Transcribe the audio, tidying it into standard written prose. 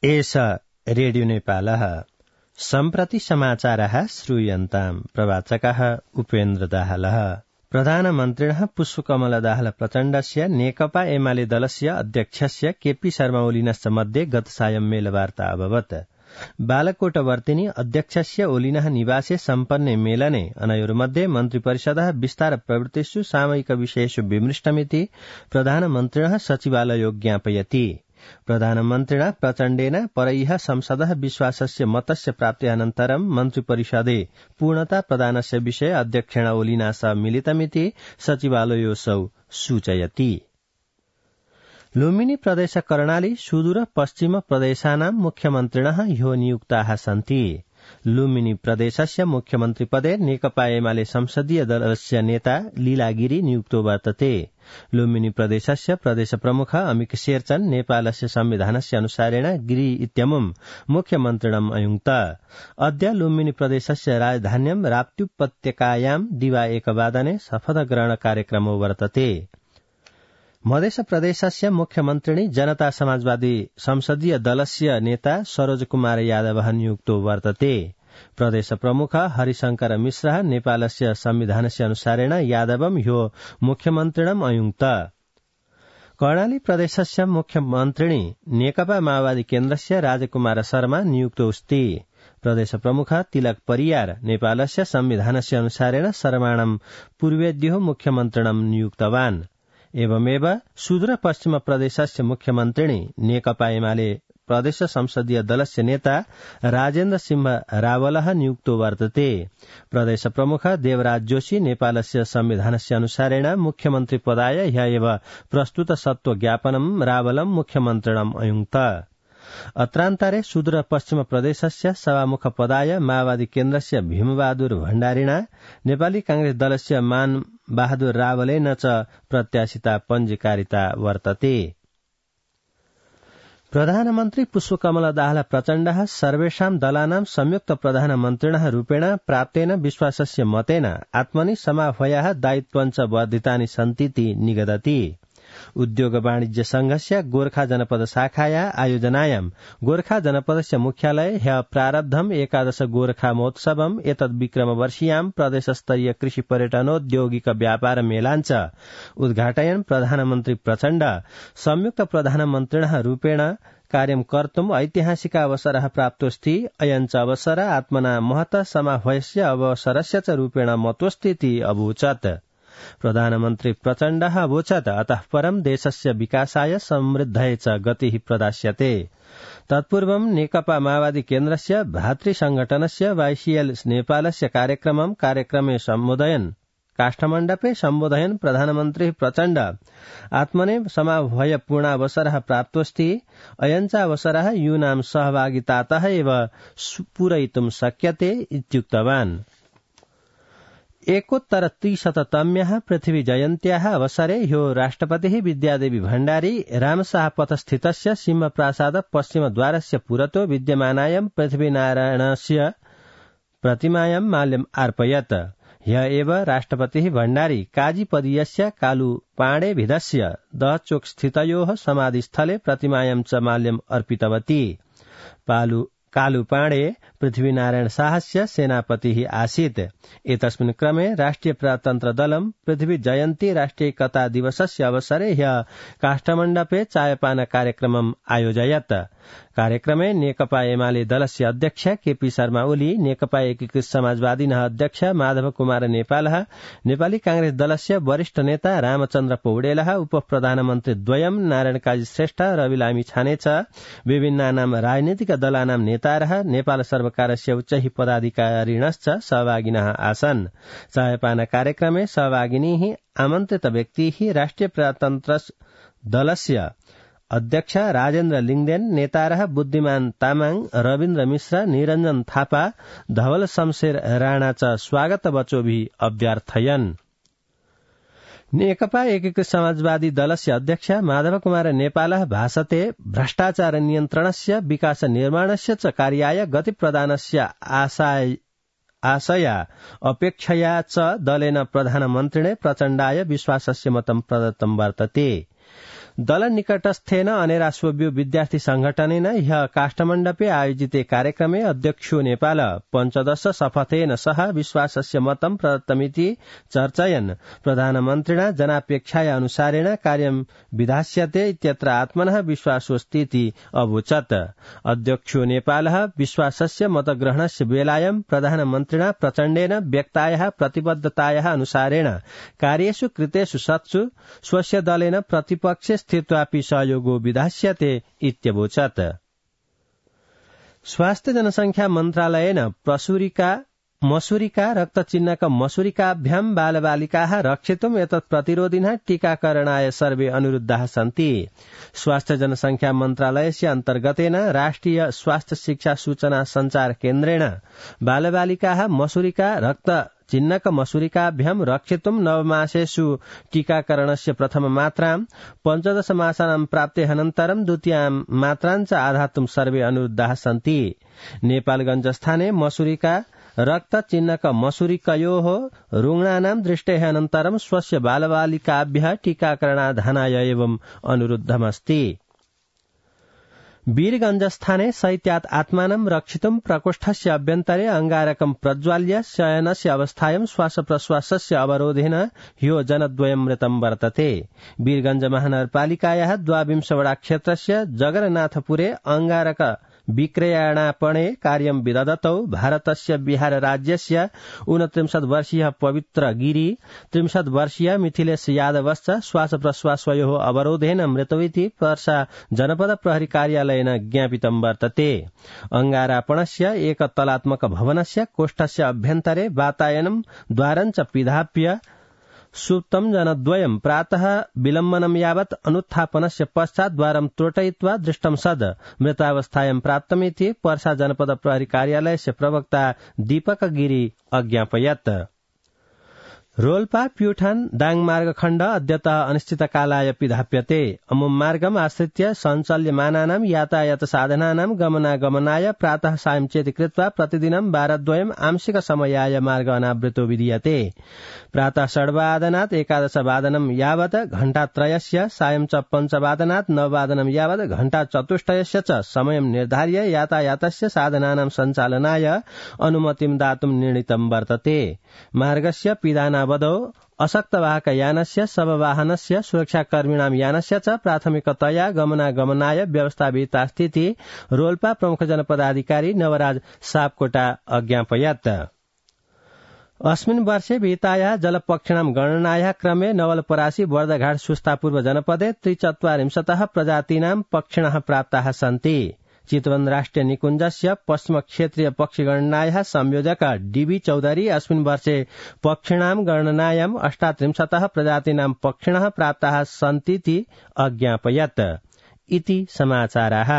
एष रेडियो नेपालः सम्प्रति समाचारः श्रूयन्ताम् प्रवाचकः उपेन्द्र दाहालः। प्रधानमन्त्रिणः पुष्पकमल दाहाल प्रचण्डस्य नेकपा एमाले दलस्य अध्यक्षस्य केपी शर्मा ओलिनश्च मध्ये गतसायं मेलवार्ता अभवत्। बालकोटवर्तिनि अध्यक्षस्य ओलिनः निवासे सम्पन्ने मेलने अनयोर्मध्ये मन्त्रिपरिषदः विस्तार प्रवृत्तिषु सामयिक विषयेषु विमृष्टमिति प्रधानमन्त्रिणः सचिवालयो ज्ञापयति। प्रधानमन्त्रिणा प्रचण्डेन परैः संसदः विश्वासस्य मतस्य प्राप्त्यानन्तरं मन्त्रिपरिषदे पूर्णता प्रदानस्य विषये अध्यक्षेण ओलिना सह मिलितमिति सचिवालयोऽसौ सूचयति। लुम्बिनी प्रदेश कर्णाली सुदूर पश्चिम प्रदेशानां मुख्यमन्त्रिणः ह्यो नियुक्ताः सन्ति। लुम्बिनी प्रदेशस्य मुख्यमन्त्रिपदे नेकपा एमाले संसदीय दलस्य नेता लीलागिरी नियुक्तो वर्तते। लुम्बिनी प्रदेशस्य प्रदेश प्रमुख अमिक शेरचन नेपालस्य संविधानस्य अनुसारेण गिरी इत्यमुं मुख्यमन्त्रिणम् अयुङ्क्त। अद्य लुम्बिनी प्रदेशस्य राजधान्यां राप्त्युपत्यकायां दिवा 1 वादने शपथग्रहण कार्यक्रमो वर्तते। मध्य प्रदेशस्य मुख्यमन्त्रिणी जनता समाजवादी संसदीय दलस्य नेता सरोज कुमार यादवः नियुक्तो वर्तते। प्रदेश प्रमुख हरिशंकर मिश्रः नेपालस्य संविधानस्य अनुसारेण यादवं ह्यो मुख्यमन्त्रिणम् अयुङ्क्त। कर्णाली प्रदेशस्य मुख्यमन्त्रिणी नेकपा माओवादी केन्द्रस्य राजकुमार शर्मा नियुक्तोऽस्ति। प्रदेश प्रमुख तिलक परियार नेपालस्य संविधानस्य अनुसारेण शर्माणं पूर्वेद्यो मुख्यमन्त्रिणं नियुक्तवान्। एवमेव सुदूर पश्चिम प्रदेशस्य मुख्यमन्त्रिणी नेकपा एमाले प्रदेश संसदीय दलस्य नेता राजेन्द्र सिंह रावलः नियुक्तो वर्तते। प्रदेश प्रमुख देवराज जोशी नेपालस्य संविधानस्य अनुसारेण मुख्यमन्त्री पदाय ह्य एव प्रस्तुत सत्व ज्ञापनं रावलं मुख्यमन्त्रिणम् अयुङ्क्त। अत्रान्तरे सुदूर पश्चिम प्रदेशस्य सभामुख पदाय माओवादी केन्द्रस्य भीमबहादुर भण्डारिणा नेपाली कांग्रेस दलस्य मान बहादुर रावलेन च प्रत्याशिता पञ्जीकारिता वर्तते। प्रधानमन्त्री पुष्पकमल दाहाल प्रचण्डः सर्वेषां दलानां संयुक्त प्रधानमन्त्रिणः रूपेण प्राप्तेन विश्वासस्य मतेन आत्मनि समाह्वयाः दायित्वञ्च वर्धितानि सन्तीति निगदति। उद्योग वाणिज्य संघस्य गोर्खा जनपद शाखाया आयोजनायां गोर्खा जनपदस्य मुख्यालये ह्य प्रारब्धम् 11 गोर्खा महोत्सवम् एतद् विक्रमवर्षीयां प्रदेशस्तरीय कृषि पर्यटनोद्योगिक व्यापार मेलाञ्च उद्घाटयन् प्रधानमन्त्री प्रचण्ड संयुक्त प्रधानमन्त्रिणः रूपेण कार्यं कर्तुम् ऐतिहासिक अवसरः प्राप्तोऽस्ति। अयञ्च अवसर आत्मना महत समाह्वयस्य अवसरस्य च रूपेण मतोऽस्तीति अवोचत्। प्रधानमन्त्री प्रचण्डः अवोचत् अतः परं देशस्य विकासाय समृद्धये च गतिः प्रदास्यते। तत्पूर्वं नेकपा माओवादी केन्द्रस्य भातृसंघटनस्य वाईसीएल नेपालस्य कार्यक्रमे सम्बोधयन् काष्ठमण्डपे सम्बोधयन् प्रधानमन्त्री प्रचण्ड आत्मने समाह्वय पूर्णावसरः प्राप्तोऽस्ति। अयञ्च अवसरः यूनां सहभागितातः एव पूरयितुं शक्यते इत्युक्तवान्। 1,300तम्याः पृथ्वी जयन्त्याः अवसरे ह्यो राष्ट्रपतिः विद्यादेवी भण्डारी रामशाहपथस्थितस्य सिंहप्रासाद पश्चिमद्वारस्य पुरतो विद्यमानायां पृथ्वीनारायणस्य प्रतिमायां माल्यम् अर्पयत्। ह्य एव राष्ट्रपतिः भण्डारी काजीपदीयस्य कालुपाणेभिधस्य दहचोक स्थितयोः समाधिस्थले प्रतिमायां च माल्यम् अर्पितवती। कालुपाणे पृथ्वीनारायण शाहस्य सेनापतिः आसीत्। एतस्मिन् क्रमे राष्ट्रिय प्रजातन्त्र दलं पृथ्वी जयन्ती राष्ट्रिय एकता दिवसस्य अवसरे ह्य काष्ठमण्डपे चायपान कार्यक्रमम् आयोजयत्। कार्यक्रमे नेकपा एमाले दलस्य अध्यक्ष केपी शर्मा ओली, नेकपा एकीकृत समाजवादीनः अध्यक्ष माधव कुमार नेपालः, नेपाली कांग्रेस दलस्य वरिष्ठ नेता रामचन्द्र पौडेलः, उप प्रधानमन्त्री द्वयं नारायण काजी श्रेष्ठ, रवि लामी छाने च विभिन्नानां राजनीतिक दलानां नेतारः, नेपाल सर्वकारस्य उच्चैः पदाधिकारिणश्च सहभागिनः आसन्। चायपान कार्यक्रमे सहभागिनीः आमन्त्रित व्यक्तिः राष्ट्रिय प्रजातन्त्र दलस्य अध्यक्ष राजेन्द्र लिङदेन, नेतारः बुद्धिमान तामाङ, रविन्द्र मिश्र, निरञ्जन थापा, धवल शमशेर राणा च स्वागत वचोभिः अभ्यर्थयन्। नेकपा एकीकृत समाजवादी दलस्य अध्यक्ष माधव कुमार नेपालः भाषते भ्रष्टाचार नियन्त्रणस्य विकास निर्माणस्य च कार्याय गति प्रदानस्य आशया अपेक्षया च दलेन प्रधानमन्त्रिणे प्रचण्डाय विश्वासस्य मतं प्रदत्तं वर्तते। दलनिकटस्थेन अनेरास्वभ्यो विद्यार्थी संघटनेन ह्यः काष्ठमण्डपे आयोजिते कार्यक्रमे अध्यक्षो नेपाल पञ्चदश शपथेन सह विश्वासस्य मतम् प्रदत्तमिति चर्चयन् प्रधानमन्त्रिणा जनापेक्षाया अनुसारेण कार्यं विधास्यते इत्यत्र आत्मनः विश्वासोऽस्तीति अवोचत्। अध्यक्षो नेपालः विश्वासस्य मतग्रहणस्य वेलायां प्रधानमन्त्रिणा प्रचण्डेन व्यक्तायाः प्रतिबद्धतायाः अनुसारेण कार्येषु कृतेषु सत्सु स्वस्य दलेन प्रतिपक्षे स्थित्वापि सहयोगो विधास्यते इत्यवोचत्। स्वास्थ्य जनसंख्या मन्त्रालयेन मसूरिका रक्तचिह्नक मसूरिकाभ्यां बालबालिकाः रक्षितुम् एतत् प्रतिरोधिनः टीकाकरणाय सर्वे अनुरुद्धाः सन्ति। स्वास्थ्य जनसंख्या मन्त्रालयस्य अन्तर्गतेन राष्ट्रिय स्वास्थ्य शिक्षा सूचना संचार केन्द्रेण बालबालिकाः मसूरिका रक्त चिह्नक मसूरिकाभ्यां रक्षितुम् नवमासेषु टीकाकरणस्य प्रथममात्रां 15 मासानां प्राप्तेः द्वितीयां मात्रां च आधातुं सर्वे अनुरुद्धाः सन्ति। नेपालगञ्जस्थाने मसूरिका रक्त चिह्नक मसूरिकयोः रुग्णानां दृष्टेः अनन्तरं स्वस्य बालबालिकाभ्यः टीकाकरणाधानाय एवं अनुरुद्धमस्ति। वीरगञ्जस्थाने शैत्यात् आत्मानं रक्षितुं प्रकोष्ठस्य अभ्यन्तरे अंगारकं प्रज्वाल्य शयनस्य अवस्थायां श्वासप्रश्वासस्य अवरोधेन ह्यो जनद्वयं मृतं वर्तते। वीरगञ्ज महानगरपालिकायाः 22 वडा क्षेत्रस्य जगन्नाथपुरे अंगारक विक्रयणापणे कार्यं विदधतौ भारतस्य बिहार राज्यस्य 29 वर्षीयः पवित्र गिरी 30 वर्षीय मिथिलेश यादवश्च श्वासप्रश्वासयोः अवरोधेन मृतौ पर्सा जनपद प्रहरी कार्यालयेन ज्ञापितं वर्तते। अंगारापणस्य एकतलात्मक भवनस्य कोष्ठस्य अभ्यन्तरे वातायनं द्वारं च पिधाप्य सुप्तं जनद्वयं प्रातः विलम्बनं यावत् अनुत्थापनस्य पश्चात् द्वारं त्रोटयित्वा दृष्टं सद् मृतावस्थायां प्राप्तमिति पर्सा जनपद प्रहरी कार्यालयस्य प्रवक्ता दीपक गिरी अज्ञापयत्। रोल्पा प्युठान दाङ मार्गखण्ड अद्यतः अनिश्चितकालाय पिधाप्यते। अमुं मार्गम् आश्रित्य सञ्चाल्यमानानां यातायात साधनानां गमनागमनाय प्रातः सायं चेति कृत्वा प्रतिदिनं वारद्वयम् आंशिक समयाय मार्ग अनावृतो विधीयते। प्रातः 8:00 11:00 यावत् घण्टात्रयस्य सायं च 5:00 यावत् घण्टाचतुष्टयस्य च समयं निर्धार्य यातायातस्य साधनानां सञ्चालनाय अनुमतिं दातुं निर्णीतं वर्तते। मार्गस्य पिधानावधौ अशक्तवाहकयानस्य शववाहनस्य सुरक्षाकर्मिणां यानस्य च प्राथमिकतया गमनागमनाय व्यवस्था विहितास्तीति रोल्पा प्रमुख जनपदाधिकारी नवराज सापकोटा अज्ञापयत्। अस्मिन् वर्षे विहितायाः जलपक्षिणां गणनायाः क्रमे नवलपरासी बर्दघाट सुस्तापूर्व जनपदे 43 प्रजातीनां पक्षिणः प्राप्ताः सन्ति। चितवन राष्ट्रिय निकुञ्जस्य पश्चिम क्षेत्रीय पक्षिगणनायाः संयोजक डीबी चौधरी अस्मिन् वर्षे पक्षिणां गणनायां 38 प्रजातीनां पक्षिणः प्राप्ताः सन्तीति अज्ञापयत्। इति समाचाराः।